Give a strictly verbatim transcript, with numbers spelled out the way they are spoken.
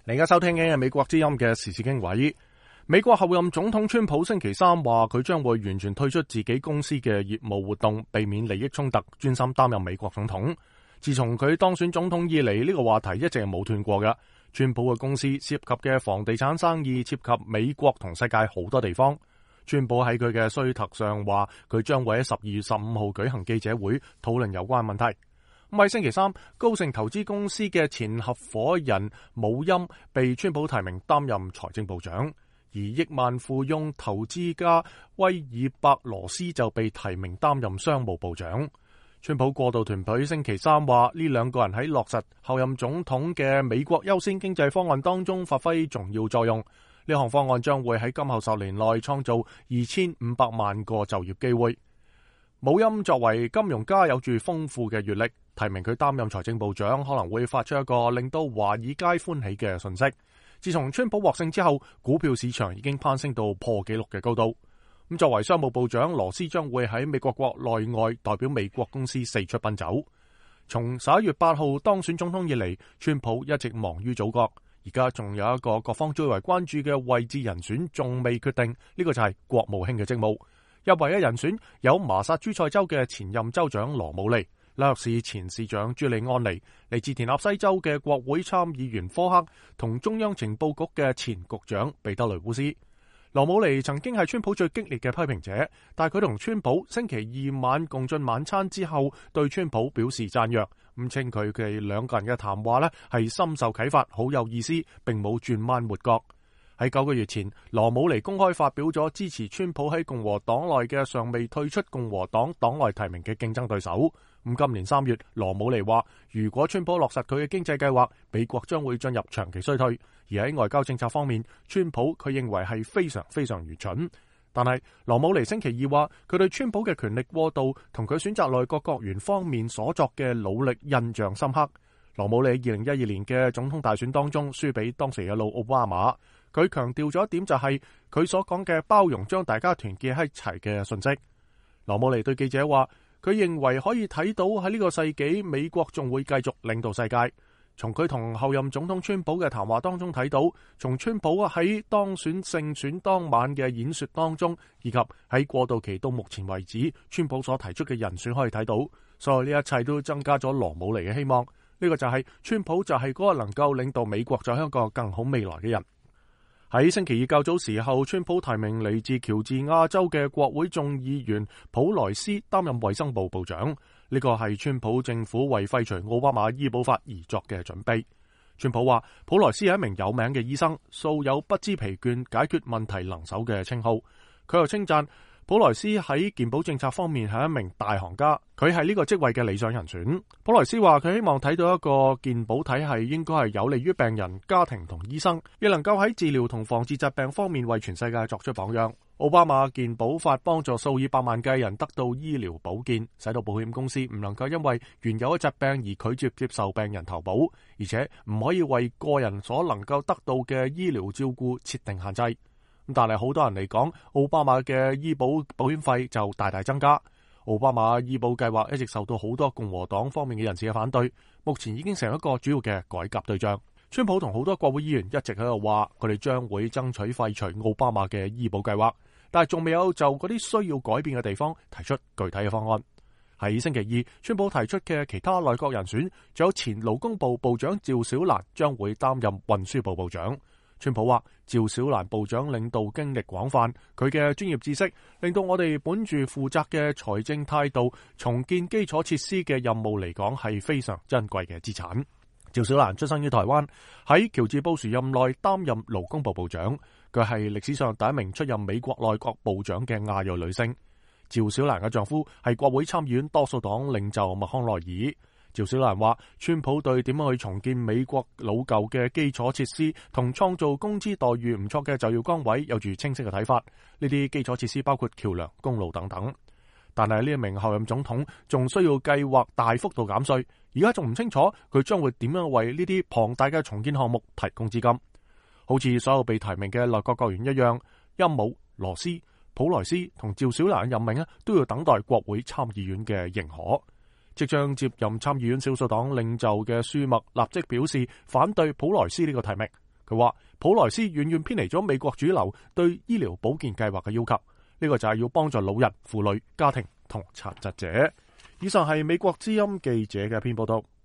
你而家收聽嘅係美國之音嘅時事經緯。美國候任總統川普星期三話佢將會完全退出自己公司嘅業務活動，避免利益衝突，專心擔任美國總統。自從佢當選總統以嚟，呢個話題一直係冇斷過嘅。川普嘅公司涉及嘅房地產生意涉及美國同世界好多地方。川普喺佢嘅推特上話佢將會喺十二月十五號舉行記者會討論有關問題。咁喺星期三，高盛投資公司嘅前合夥人姆欽被川普提名擔任財政部長，而億萬富翁投資家威爾伯羅斯就被提名擔任商務部長。川普過渡團隊星期三話呢兩個人喺落實候任總統嘅美國優先經濟方案當中發揮重要作用。呢項方案將會喺今後十年內創造二千五百萬個就業機會。姆欽作為金融家，有住豐富嘅閱歷，提名佢擔任財政部長可能會發出一個令到華爾街歡喜嘅訊息。自從川普獲勝之後，股票市場已經攀升到破紀錄嘅高度。咁作為商務部長，羅斯將會喺美國國內外代表美國公司四出奔走。從十一月八號當選總統以嚟，川普一直忙於組閣，而家仲有一個各方最為關注嘅位置人選仲未決定，呢個就係國務卿嘅職務。入圍嘅人選有麻薩諸塞州嘅前任州長羅姆尼、紐約市前市長朱利安尼、嚟自田納西州嘅國會參議員科克同中央情報局嘅前局長彼得雷烏斯。羅姆尼曾經係川普最激烈嘅批評者，但係佢同川普星期二晚共進晚餐之後，對川普表示讚揚，咁稱佢哋兩個人嘅談話呢係深受啟發，好有意思，並冇轉彎抹角。喺九個月前，羅姆尼公開發表咗支持川普喺共和黨內嘅尚未退出共和黨黨內提名嘅競爭對手。咁今年三月，羅姆尼話，如果川普落實佢嘅經濟計劃，美國將會進入長期衰退。而喺外交政策方面，川普佢認為係非常非常愚蠢。但係羅姆尼星期二話，佢對川普嘅權力過度同佢選擇內閣閣員方面所作嘅努力印象深刻。羅姆尼二零一二年嘅總統大選當中輸俾當時嘅老奧巴馬。佢強調咗一點，就係佢所講嘅包容將大家團結喺一齊嘅信息。羅姆尼對記者話，佢認為可以睇到喺呢個世紀，美國仲會繼續領導世界。從佢同後任總統川普嘅談話當中睇到，從川普喺當選勝選當晚嘅演說當中，以及喺過渡期到目前為止，川普所提出嘅人選可以睇到，所以呢一切都增加咗羅姆尼嘅希望。呢個就係川普就係嗰個能夠領導美國走向一個更好未來嘅人。喺星期二較早時候，川普提名嚟自喬治亞州嘅國會眾議員普萊斯擔任衛生部部長。呢個係川普政府為廢除奧巴馬醫保法而作嘅準備。川普話，普萊斯係一名有名嘅醫生，素有不知疲倦解決問題能手嘅稱號。佢又稱讚普萊斯喺健保政策方面係一名大行家，佢係呢個職位嘅理想人選。普萊斯話，佢希望睇到一個健保體系應該係有利於病人、家庭同醫生，亦能夠喺治療同防治疾病方面為全世界作出榜樣。奧巴馬健保法幫助數以百萬計人得到醫療保健，使到保險公司唔能夠因為原有嘅疾病而拒絕接受病人投保，而且唔可以為個人所能夠得到嘅醫療照顧設定限制。但係好多人嚟講，奧巴馬嘅醫保保險費就大大增加。奧巴馬醫保計劃一直受到好多共和黨方面嘅人士嘅反對，目前已經成一個主要嘅改革對象。川普同好多國會議員一直喺度話，佢哋將會爭取廢除奧巴馬嘅醫保計劃，但係仲未有就嗰啲需要改變嘅地方提出具體嘅方案。喺星期二，川普提出嘅其他內閣人選，仲有前勞工部部長趙小蘭將會擔任運輸部部長。川普話，趙小蘭部長領導經歷廣泛，佢嘅專業知識令到我哋本住負責嘅財政態度重建基礎設施嘅任務嚟講係非常珍貴嘅資產。趙小蘭出生於台灣，喺喬治布殊任內擔任勞工部部長，佢係歷史上第一名出任美國內閣部長嘅亞裔女性。趙小蘭嘅丈夫係國會參議院多數黨領袖麥康奈爾。趙小蘭話，川普對點樣去重建美國老舊嘅基礎設施同創造工資待遇唔錯嘅就業崗位有住清晰嘅睇法。呢啲基礎設施包括橋樑、公路等等。但係呢一名候任總統仲需要計劃大幅度減稅，而家仲唔清楚佢將會點樣為呢啲龐大嘅重建項目提供資金。好似所有被提名嘅內閣閣員一樣，欽姆、羅斯、普萊斯同趙小蘭任命啊，都要等待國會參議院嘅認可。即將接任參議院少數黨領袖嘅舒默立即表示反對普萊斯呢個提名。佢話普萊斯遠遠偏離咗美國主流對醫療保健計劃嘅要求，呢個就係要幫助老人、婦女、家庭同殘疾者。以上係美國之音記者嘅一篇報道。